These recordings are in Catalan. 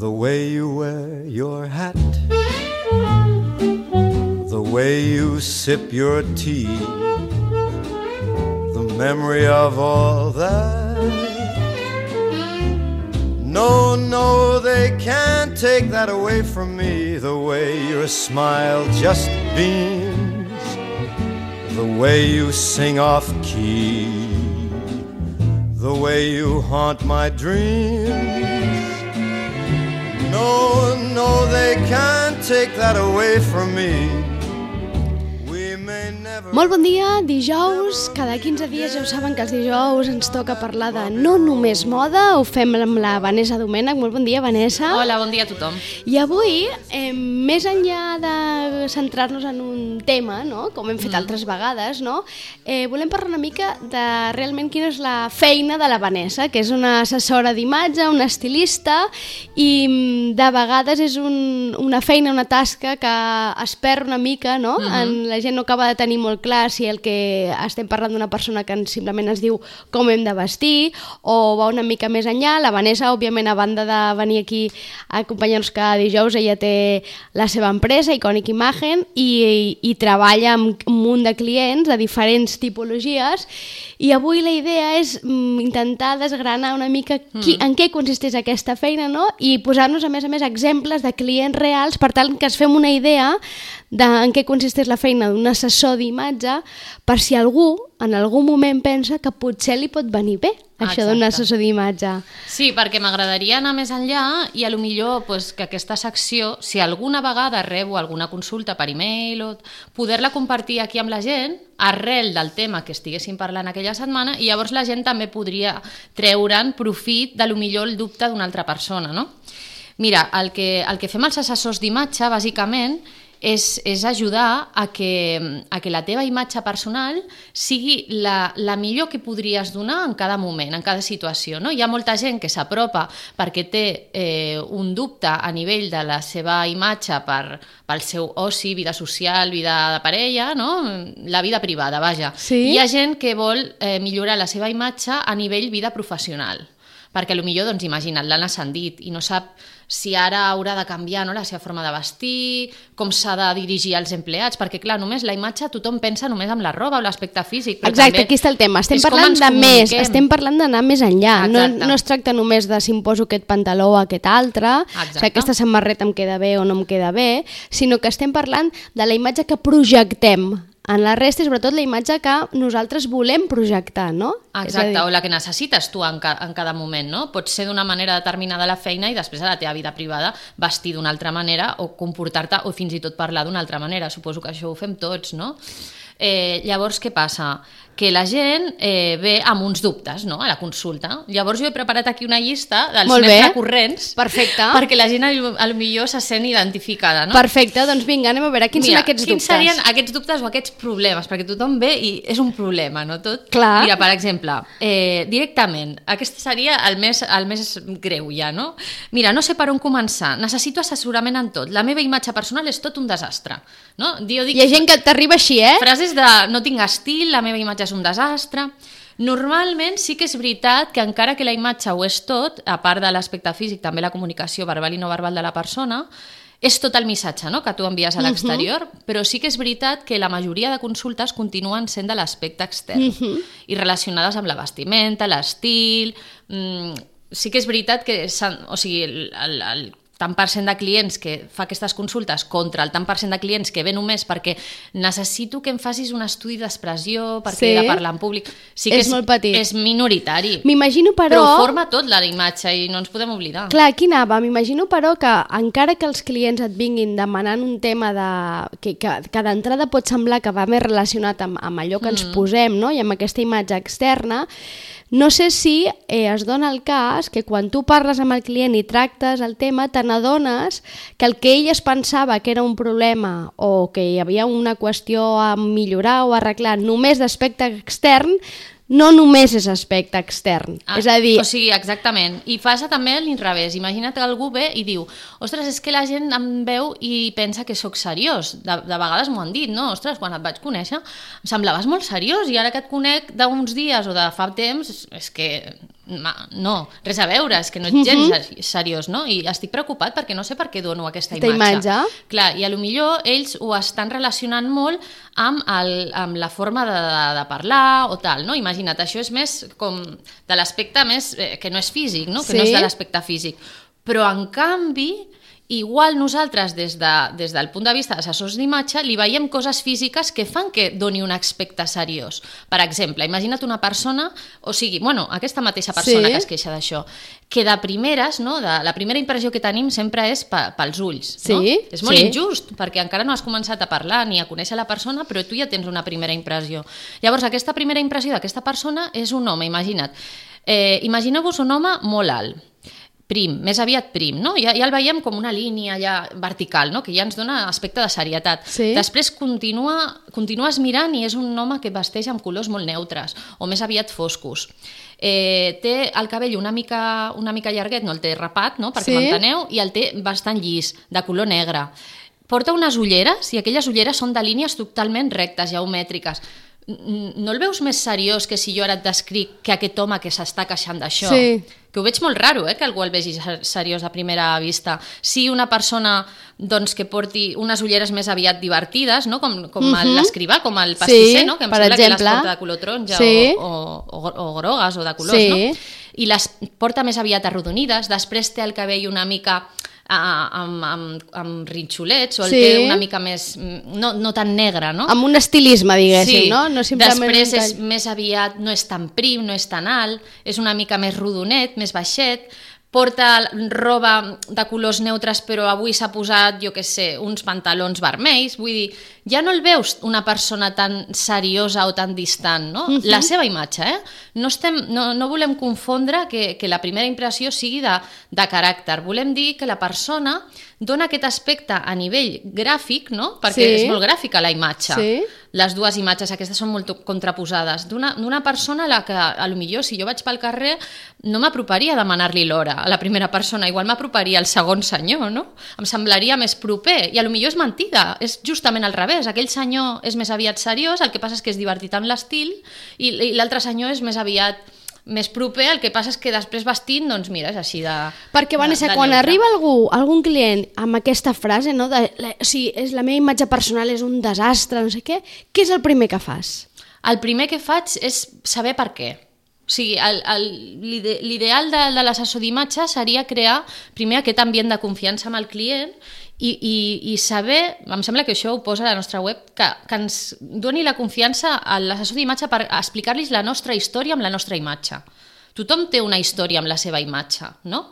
The way you wear your hat, the way you sip your tea, the memory of all that. No, no, they can't take that away from me. The way your smile just beams, the way you sing off key, the way you haunt my dreams. No, no, they can't take that away from me. We may never... Molt bon dia, dijous. Cada 15 dies ja ho saben que els dijous ens toca parlar de no només moda. Ho fem amb la Vanessa Domènech. Molt bon dia, Vanessa. Hola, bon dia a tothom. I avui, més enllà de centrar-nos en un tema, no? Com hem fet altres vegades, no? Volem parlar una mica de realment quina és la feina de la Vanessa, que és una assessora d'imatge, una estilista, i de vegades és una feina, una tasca que es perd una mica, no? La gent no acaba de tenir molt clar si el que estem parlant d'una persona que simplement ens diu com hem de vestir o va una mica més enllà. La Vanessa, òbviament, a banda de venir aquí a acompanyar-nos cada dijous, ella té la seva empresa, Iconic Imagen, i treballa amb un munt de clients de diferents tipologies, i avui la idea és intentar desgranar una mica en què consisteix aquesta feina, no? I posar-nos, a més, exemples de clients reals per tal que es fem una idea de en què consisteix la feina d'un assessor d'imatge, per si algú en algun moment pensa que potser li pot venir bé això d'un assessor d'imatge. Sí, perquè m'agradaria anar més enllà i a lo millor que aquesta secció, si alguna vegada rebo alguna consulta per e-mail, o poder-la compartir aquí amb la gent arrel del tema que estiguéssim parlant aquella setmana, i llavors la gent també podria treure'n profit de lo millor el dubte d'una altra persona, no? Mira, el que fem els assessors d'imatge, bàsicament, és ajudar a que la teva imatge personal sigui la millor que podries donar en cada moment, en cada situació, no? Hi ha molta gent que s'apropa perquè té un dubte a nivell de la seva imatge pel seu oci, vida social, vida de parella, no? La vida privada, vaja. Sí? Hi ha gent que vol millorar la seva imatge a nivell vida professional, perquè potser, doncs, imagina't, l'han ascendit i no sap si ara haurà de canviar, no, la seva forma de vestir, com s'ha de dirigir als empleats, perquè clar, només la imatge tothom pensa només amb la roba o l'aspecte físic. Exacte, aquí està el tema, estem parlant de més, estem parlant d'anar més enllà, no es tracta només de si em poso aquest pantaló o aquest altre, si aquesta samarreta em queda bé o no em queda bé, sinó que estem parlant de la imatge que projectem en la resta, i sobretot la imatge que nosaltres volem projectar, no? Exacte, o la que necessites tu en cada moment, no? Pot ser d'una manera determinada la feina i després a la teva vida privada vestir d'una altra manera o comportar-te o fins i tot parlar d'una altra manera. Suposo que això ho fem tots, no? Llavors, què passa? Que la gent ve amb uns dubtes, no?, a la consulta. Llavors jo he preparat aquí una llista dels més recurrents. Perfecte. Perquè la gent potser se sent identificada, no? Perfecte, doncs vinga, anem a veure quins són aquests dubtes. Quins serien aquests dubtes o aquests problemes? Perquè tothom ve i és un problema, no tot? Clar. Mira, per exemple, directament, aquest seria el més greu ja, no? Mira, no sé per on començar, necessito assessorament en tot, la meva imatge personal és tot un desastre, no? Hi ha gent que t'arriba així, frases de no tinc estil, la meva imatge és un desastre. Normalment sí que és veritat que encara que la imatge ho és tot, a part de l'aspecte físic, també la comunicació verbal i no verbal de la persona, és tot el missatge, no?, que tu envies a l'exterior, però sí que és veritat que la majoria de consultes continuen sent de l'aspecte extern i relacionades amb la vestimenta, l'estil. Sí que és veritat que el tant per cent de clients que fa aquestes consultes contra el tant per cent de clients que ve només perquè necessito que em facis un estudi d'expressió, perquè he de parlar en públic. Sí que és molt petit. És minoritari. M'imagino, però forma tot la imatge i no ens podem oblidar. Clar, aquí anava. M'imagino, però, que encara que els clients et vinguin demanant un tema que d'entrada pot semblar que va més relacionat amb allò que ens posem, no?, i amb aquesta imatge externa, no sé si es dona el cas que quan tu parles amb el client i tractes el tema, te n'adones que el que ell es pensava que era un problema o que hi havia una qüestió a millorar o arreglar només d'aspecte extern, no només és aspecte extern. És a dir... O sigui, exactament. I passa també a l'inrevés. Imagina't que algú ve i diu ostres, és que la gent em veu i pensa que sóc seriós. De vegades m'ho han dit, no? Ostres, quan et vaig conèixer em semblaves molt seriós i ara que et conec d'uns dies o de fa temps és que no, res a veure, és que no ets gens seriós, no? I estic preocupat perquè no sé per què dono aquesta imatge. Clar, i potser ells ho estan relacionant molt amb la forma de parlar o tal, no? Imagina't, això és més com de l'aspecte més que no és físic, no? Que no és de l'aspecte físic. Però, en canvi, igual nosaltres, des del punt de vista d'assessors d'imatge, li veiem coses físiques que fan que doni un aspecte seriós. Per exemple, imagina't una persona, o sigui, aquesta mateixa persona que es queixa d'això, que de primeres, no, la primera impressió que tenim sempre és pels ulls. No? És molt injust, perquè encara no has començat a parlar ni a conèixer la persona, però tu ja tens una primera impressió. Llavors, aquesta primera impressió d'aquesta persona és un home, imagina't. Imagineu-vos un home molt alt, prim, més aviat prim, no? Ja el veiem com una línia ja vertical, no? Que ja ens dona aspecte de serietat. Després continues mirant i és un home que vesteix amb colors molt neutres o més aviat foscos. Té el cabell una mica llarguet, no el té rapat, no? Perquè m'enteneu, i el té bastant llis, de color negre. Porta unes ulleres i aquelles ulleres són de línies totalment rectes, geomètriques. No el veus més seriós que si jo ara et descric que aquest home que s'està queixant d'això? Que ho veig molt raro, que algú el vegi seriós a primera vista. Si una persona que porti unes ulleres més aviat divertides, no? Com l'escrivà, com el pastisser, no? Que em sembla que les porta de color taronja o grogues o de colors, no? I les porta més aviat arrodonides, després té el cabell una mica amb rinxolets, o el té una mica més, no tan negre, no? Amb un estilisme, diguéssim, no? Després és més aviat, no és tan prim, no és tan alt, és una mica més rodonet, més baixet, porta roba de colors neutres, però avui s'ha posat, jo què sé, uns pantalons vermells, vull dir, ja no el veus una persona tan seriosa o tan distant, no? La seva imatge, No volem confondre que la primera impressió sigui de caràcter, volem dir que la persona dona aquest aspecte a nivell gràfic, no? Perquè és molt gràfica la imatge. Les dues imatges aquestes són molt contraposades. D'una persona a la que, potser, si jo vaig pel carrer, no m'aproparia a demanar-li l'hora a la primera persona, igual m'aproparia al segon senyor, no? Em semblaria més proper, i potser és mentida, és justament al revés. Aquell senyor és més aviat seriós, el que passa és que és divertit amb l'estil, i l'altre senyor és més aviat més proper, el que passa és que després vestint, doncs mira, és així de... Perquè, Vanessa, quan arriba algun client amb aquesta frase, no, la meva imatge personal és un desastre, no sé què és el primer que fas? El primer que faig és saber per què. O sigui, l'ideal de l'assessor d'imatge seria crear primer aquest ambient de confiança amb el client i saber, em sembla que això ho posa a la nostra web, que ens doni la confiança a l'assessor d'imatge per explicar-los la nostra història amb la nostra imatge. Tothom té una història amb la seva imatge, no?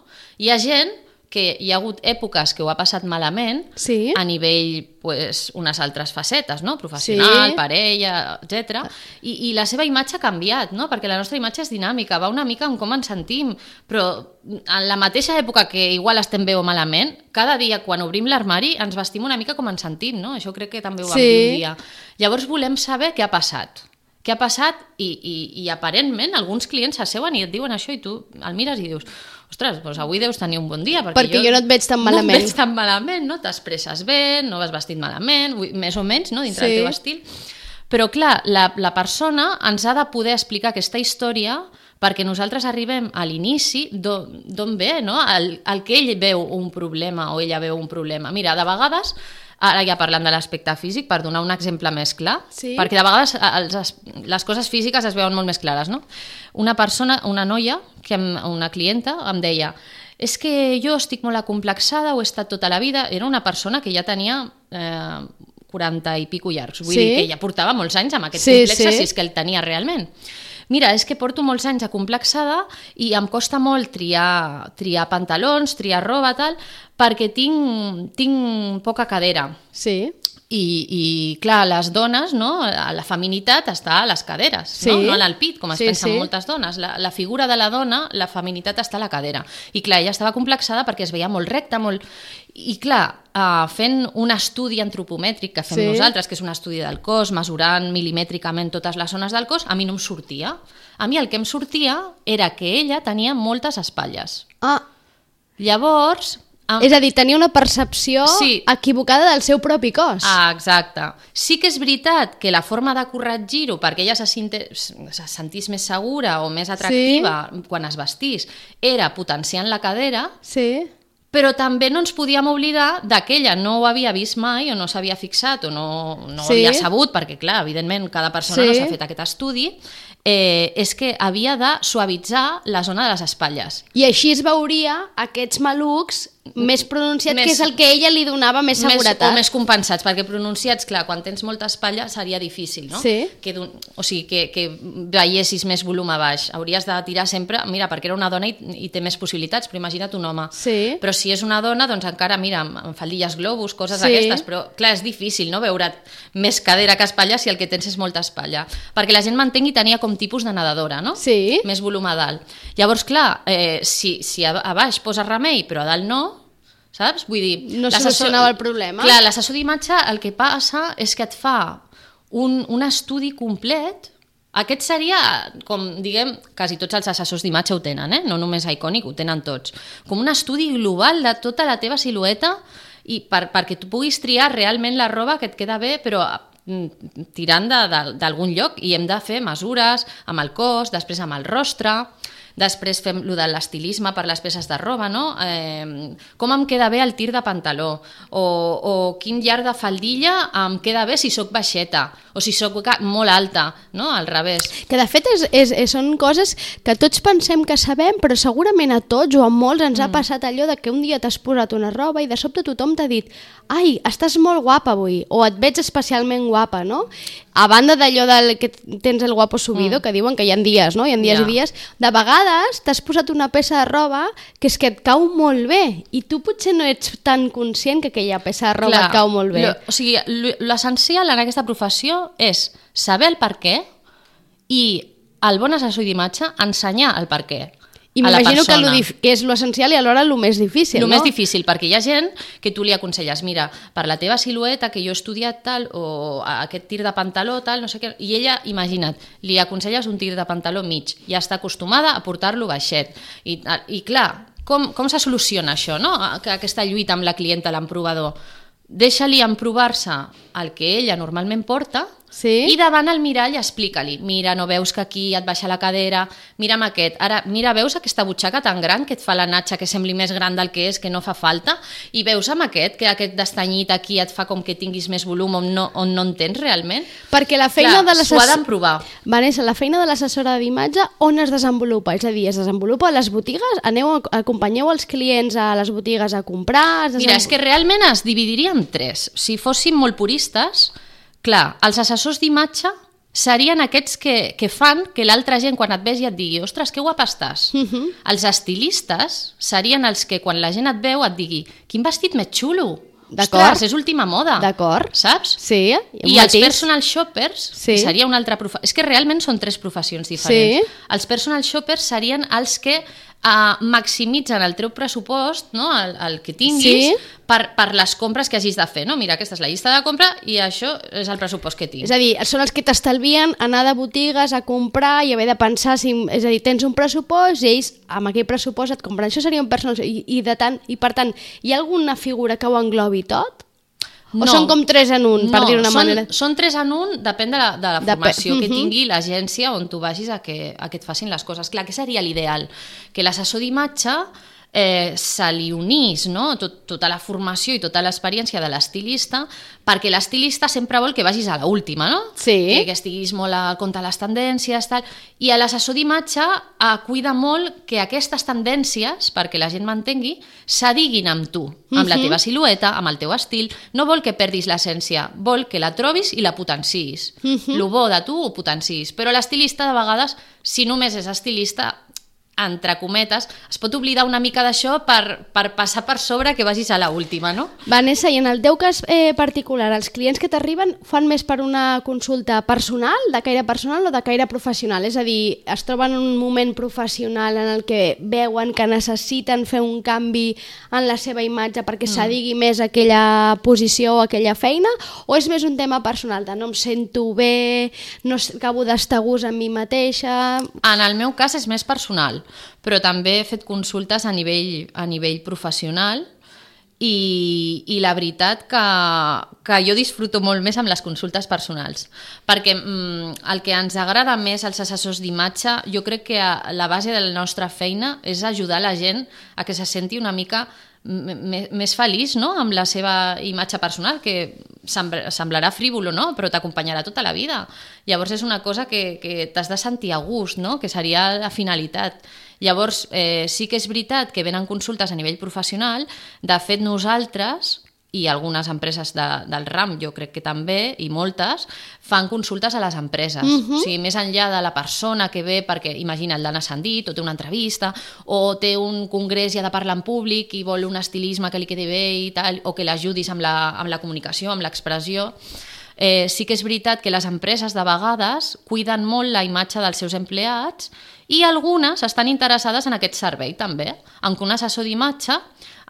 Hi ha gent que hi ha hagut èpoques que ho ha passat malament a nivell, unes altres facetes, no? Professional, parella, etc. I la seva imatge ha canviat, no? Perquè la nostra imatge és dinàmica, va una mica amb com ens sentim, però en la mateixa època que igual estem bé o malament, cada dia quan obrim l'armari ens vestim una mica com ens sentim, no? Això crec que també ho vam dir un dia. Llavors volem saber què ha passat. Què ha passat i aparentment alguns clients s'asseuen i et diuen això i tu el mires i dius ostres, doncs avui deus tenir un bon dia perquè jo no et veig tan malament. No et veig tan malament, no? T'expresses bé, no vas vestit malament, més o menys, no? Dintre del teu estil. Però clar, la persona ens ha de poder explicar aquesta història perquè nosaltres arribem a l'inici d'on ve, no? El que ell veu un problema o ella veu un problema. Mira, de vegades, ara ja parlant de l'aspecte físic, per donar un exemple més clar, perquè de vegades les coses físiques es veuen molt més clares, no? Una persona, una noia, una clienta, em deia és que jo estic molt acomplexada, ho he estat tota la vida, era una persona que ja tenia 40 i pico llargs, vull dir que ja portava molts anys amb aquest complexe, si és que el tenia realment. Mira, és que porto molts anys acomplexada i em costa molt triar pantalons, triar roba, tal, perquè tinc poca cadera. I clar, les dones, no? La feminitat està a les caderes, no al pit, com es pensen moltes dones. La figura de la dona, la feminitat està a la cadera. I clar, ella estava complexada perquè es veia molt recta, molt... I clar, fent un estudi antropomètric que fem nosaltres, que és un estudi del cos, mesurant milimètricament totes les zones del cos, a mi no em sortia. A mi el que em sortia era que ella tenia moltes espatlles. Llavors, És a dir, tenia una percepció equivocada del seu propi cos. Exacte. Sí que és veritat que la forma de corregir-ho perquè ella se sentís més segura o més atractiva quan es vestís era potenciant la cadera, però també no ens podíem oblidar que ella no ho havia vist mai o no s'havia fixat o no havia sabut, perquè clar, evidentment cada persona no s'ha fet aquest estudi, és que havia de suavitzar la zona de les espatlles. I així es veuria aquests malucs més pronunciats, que és el que ella li donava més seguretat. O més compensats, perquè pronunciats, clar, quan tens molta espatlla seria difícil, no? O sigui, que veiessis més volum a baix. Hauries de tirar sempre, mira, perquè era una dona i té més possibilitats, però imagina't un home. Però si és una dona, doncs encara, mira, amb faldilles globus, coses d'aquestes, però clar, és difícil, no?, veure més cadera que espatlla si el que tens és molta espatlla. Perquè la gent m'entengui, tenia com tipus de nedadora, no? Més volum a dalt. Llavors, clar, si a baix poses remei, però a dalt no, saps? Vull dir... No solucionava el problema. Clar, l'assessor d'imatge el que passa és que et fa un estudi complet. Aquest seria, com diguem, quasi tots els assessors d'imatge ho tenen, no només Iconic, ho tenen tots. Com un estudi global de tota la teva silueta i perquè tu puguis triar realment la roba que et queda bé, però tirant d'algun lloc, i hem de fer mesures amb el cos, després amb el rostre... Després fem lo de l'estilisme per les peces de roba, no? Com em queda bé el tir de pantaló, o quin llarg de faldilla em queda bé si sóc baixeta, o si sóc molt alta, no? Al revés. Que de fet són coses que tots pensem que sabem, però segurament a tots o a molts ens ha passat allò de que un dia t'has posat una roba i de sobte tothom t'ha dit ai, estàs molt guapa avui, o et veig especialment guapa, no? A banda d'allò que tens el guapo subido, que diuen que hi ha dies, no? Hi ha dies i dies. De vegades t'has posat una peça de roba que és que et cau molt bé i tu potser no ets tan conscient que aquella peça de roba et cau molt bé. O sigui, l'essencial en aquesta professió és saber el per què i el bon assessor d'imatge ensenyar el per què. I m'imagino que és l'essencial i alhora el més difícil, no? El més difícil, perquè hi ha gent que tu li aconselles, mira, per la teva silueta, que jo he estudiat tal, o aquest tir de pantaló tal, no sé què, i ella, imagina't, li aconselles un tir de pantaló mig, ja està acostumada a portar-lo baixet. I clar, com se soluciona això, no? Aquesta lluita amb la clienta, l'emprovador. Deixa-li emprovar-se el que ella normalment porta, i davant el mirall explica-li, mira, no veus que aquí et baixa la cadera, mira'm aquest, ara, mira, veus aquesta butxaca tan gran que et fa la natxa que sembli més gran del que és, que no fa falta, i veus amb aquest, que aquest destanyit aquí et fa com que tinguis més volum on no en tens realment? Perquè la feina de s'ho ha d'emprovar. Vanessa, la feina de l'assessora d'imatge on es desenvolupa? És a dir, es desenvolupa a les botigues? Acompanyeu els clients a les botigues a comprar? Mira, és que realment es dividiria en tres. Si fóssim molt puristes, clar, els assessors d'imatge serien aquests que fan que l'altra gent quan et vegi et digui ostres, que guapa estàs. Els estilistes serien els que quan la gent et veu et digui quin vestit més xulo. Ostres, és última moda. D'acord. Saps? Sí. I els personal shoppers seria una altra professió. És que realment són tres professions diferents. Els personal shoppers serien els que maximitzen el teu pressupost, no? el que tinguis, per les compres que hagis de fer. No? Mira, aquesta és la llista de compra i això és el pressupost que tinc. És a dir, són els que t'estalvien anar de botigues a comprar i haver de pensar, és a dir, tens un pressupost i ells amb aquell pressupost et compren. Això seria un personal i per tant, hi ha alguna figura que ho englobi tot? O són com 3 en 1, per dir-ho d'una manera? Són 3 en 1, depèn de la formació que tingui l'agència on tu vagis a que et facin les coses. Clar, què seria l'ideal? Que l'assessor d'imatge se li unís, no? Tota la formació i tota l'experiència de l'estilista, perquè l'estilista sempre vol que vagis a l'última, no? Que estiguis molt al compte de les tendències, tal. I l'assessor d'imatge cuida molt que aquestes tendències, perquè la gent m'entengui, s'adiguin amb tu, amb la teva silueta, amb el teu estil. No vol que perdis l'essència, vol que la trobis i la potenciïs. Lo bo de tu ho potenciïs. Però l'estilista, de vegades, si només és estilista, entre cometes, es pot oblidar una mica d'això per passar per sobre que vagis a l'última, no? Vanessa, i en el teu cas particular, els clients que t'arriben fan més per una consulta personal, de caire personal o de caire professional? És a dir, es troben en un moment professional en el que veuen que necessiten fer un canvi en la seva imatge perquè s'adigui més aquella posició o aquella feina, o és més un tema personal, de no em sento bé, no acabo d'estar a gust amb mi mateixa? En el meu cas és més personal, però també he fet consultes a nivell professional i la veritat que jo disfruto molt més amb les consultes personals, perquè el que ens agrada més als assessors d'imatge, jo crec que la base de la nostra feina és ajudar la gent a que se senti una mica més feliç, no?, amb la seva imatge personal, que semblarà frívolo, no?, però t'acompanyarà tota la vida. Llavors és una cosa que t'has de sentir a gust, no?, que seria la finalitat. Llavors sí que és veritat que venen consultes a nivell professional. De fet, nosaltres i algunes empreses del RAM, jo crec que també, i moltes, fan consultes a les empreses. O sigui, més enllà de la persona que ve, perquè imagina't, l'han ascendit, o té una entrevista, o té un congrés i ha de parlar en públic i vol un estilisme que li quedi bé i tal, o que l'ajudis amb la comunicació, amb l'expressió. Sí que és veritat que les empreses de vegades cuiden molt la imatge dels seus empleats i algunes estan interessades en aquest servei també, en què un assessor d'imatge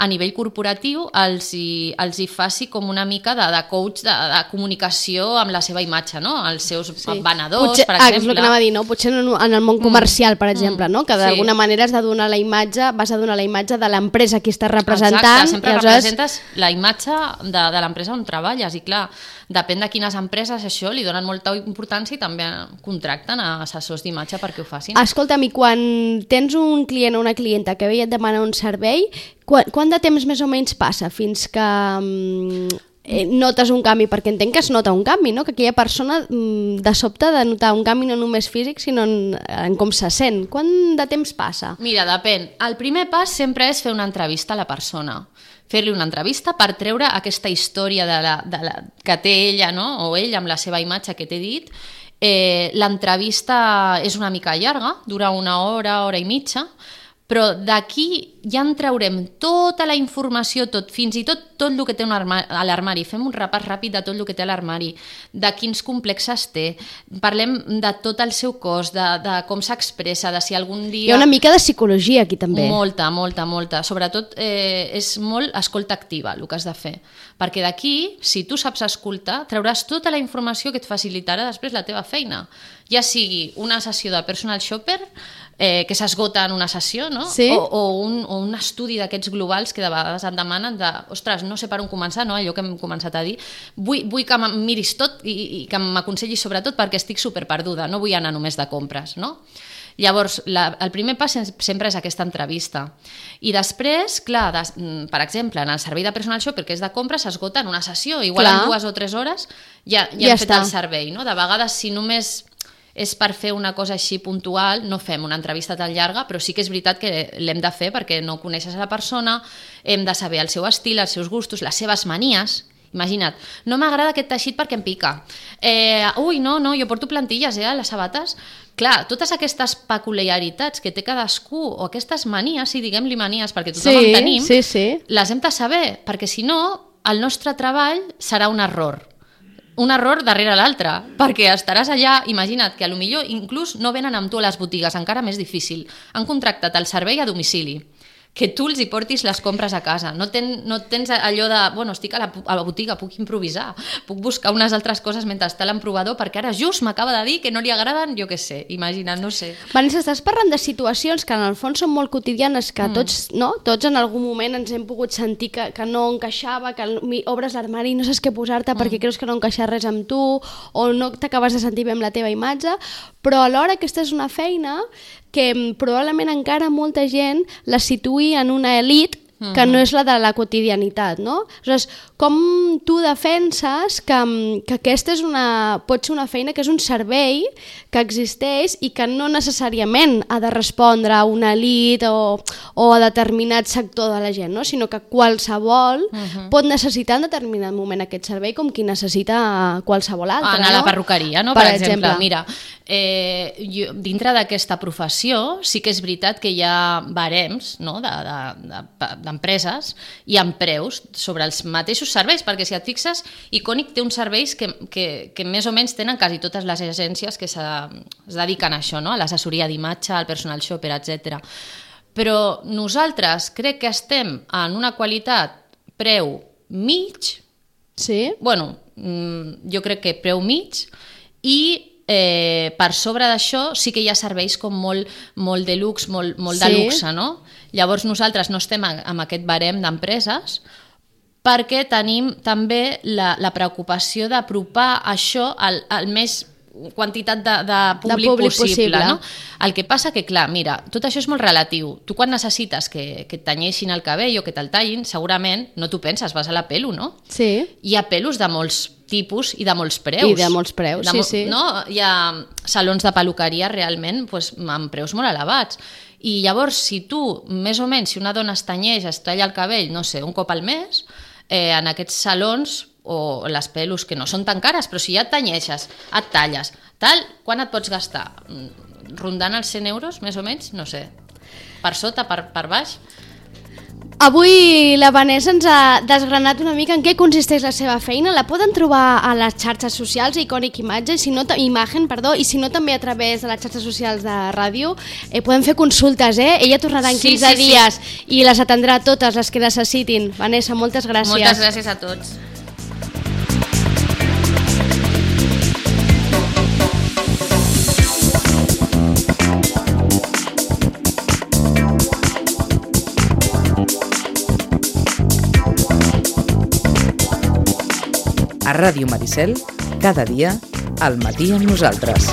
a nivell corporatiu els hi faci com una mica de coach de comunicació amb la seva imatge, no? Els seus venedors, per exemple. És el que anava a dir, no? Potser en el món comercial, per exemple, no? Que d'alguna manera has de donar la imatge, vas a donar la imatge de l'empresa que estàs representant. Exacte, sempre representes la imatge de l'empresa on treballes i clar, depèn de quines empreses això li donen molta importància i també contracten a assessors d'imatge perquè ho facin. Escolta'm, i quan tens un client o una clienta que ve i et demana un servei, quant de temps més o menys passa fins que notes un canvi? Perquè entenc que es nota un canvi, no? Que aquella persona de sobte de notar un canvi no només físic sinó en com se sent. Quant de temps passa? Mira, depèn. El primer pas sempre és fer una entrevista a la persona. Fer-li una entrevista per treure aquesta història que té ella, no? O ell amb la seva imatge que t'he dit. L'entrevista és una mica llarga, dura una hora, hora i mitja, però d'aquí ja en traurem tota la informació, fins i tot el que té a l'armari. Fem un repàs ràpid de tot el que té a l'armari, de quins complexes té, parlem de tot el seu cos, de com s'expressa, de si algun dia... Hi ha una mica de psicologia aquí també. Molta. Sobretot és molt escolta activa el que has de fer, perquè d'aquí, si tu saps escoltar, trauràs tota la informació que et facilitarà després la teva feina, ja sigui una sessió de personal shopper, que s'esgota en una sessió, no? Sí. O un estudi d'aquests globals que de vegades et demanen ostres, no sé per on començar, no? Allò que hem començat a dir, vull que em miris tot i que m'aconsellis sobretot perquè estic superperduda, no vull anar només de compres, no? Llavors, el primer pas sempre és aquesta entrevista. I després, clar, per exemple, en el servei de personal shopper, que és de compra, s'esgota en una sessió, igual en 2 o 3 hores ja hem fet el servei, no? De vegades, si només és per fer una cosa així puntual, no fem una entrevista tan llarga, però sí que és veritat que l'hem de fer perquè no coneixes a la persona, hem de saber el seu estil, els seus gustos, les seves manies. Imagina't, no m'agrada aquest teixit perquè em pica. No, jo porto plantilles a les sabates. Clar, totes aquestes peculiaritats que té cadascú, o aquestes manies, si diguem-li manies, perquè tothom en tenim, les hem de saber, perquè si no, el nostre treball serà un error darrere l'altre, perquè estaràs allà, imagina't que potser inclús no venen amb tu a les botigues, encara més difícil. Han contractat el servei a domicili, que tu els hi portis les compres a casa. No tens allò de, estic a la botiga, puc improvisar, puc buscar unes altres coses mentre està l'emprovador, perquè ara just m'acaba de dir que no li agraden, jo què sé, imagina't, no sé. Vanessa, estàs parlant de situacions que en el fons són molt quotidianes, que tots en algun moment ens hem pogut sentir que no encaixava, que obres l'armari i no saps què posar-te perquè creus que no encaixa res amb tu, o no t'acabes de sentir bé amb la teva imatge, però alhora aquesta és una feina que probablement encara molta gent la situï en una elit que no és la de la quotidianitat, no? Aleshores, com tu defenses que aquesta pot ser una feina que és un servei que existeix i que no necessàriament ha de respondre a una elit o a determinat sector de la gent, no? Sinó que qualsevol pot necessitar en determinat moment aquest servei com qui necessita qualsevol altre. Anar a la perruqueria, no? Per exemple. Mira, dintre d'aquesta professió sí que és veritat que hi ha barems, no? d'empreses i amb preus sobre els mateixos serveis, perquè si et fixes, Iconic té uns serveis que més o menys tenen quasi totes les agències que es dediquen a això, no? A l'assessoria d'imatge, al personal shopper, etc. Però nosaltres crec que estem en una qualitat preu mig, jo crec que preu mig, i per sobre d'això sí que hi ha serveis com molt de luxe, molt de luxe, no? Llavors nosaltres no estem en aquest barem d'empreses, perquè tenim també la preocupació d'apropar això al més quantitat de públic possible. No? El que passa que, clar, mira, tot això és molt relatiu. Tu quan necessites que et tanyeixin el cabell o que te'l tallin, segurament no t'ho penses, vas a la pelo, no? Sí. Hi ha pelos de molts tipus i de molts preus. I de molts preus, sí. No? Hi ha salons de peluqueria realment amb preus molt elevats. I llavors, si tu, més o menys, si una dona es tanyeix, es talla el cabell, no sé, un cop al mes, en aquests salons o les pelos que no són tan cares, però si ja et tanyeixes, et talles, tal, quan et pots gastar? Rondant els 100 euros, més o menys? No sé. Per sota, per baix? Avui la Vanessa ens ha desgranat una mica en què consisteix la seva feina. La poden trobar a les xarxes socials, Iconic Imagen, i si no també a través de les xarxes socials de ràdio. Podem fer consultes, Ella tornarà en 15 dies i les atendrà totes les que necessitin. Vanessa, moltes gràcies. Moltes gràcies a tots. A Ràdio Maricel, cada dia, al matí amb nosaltres.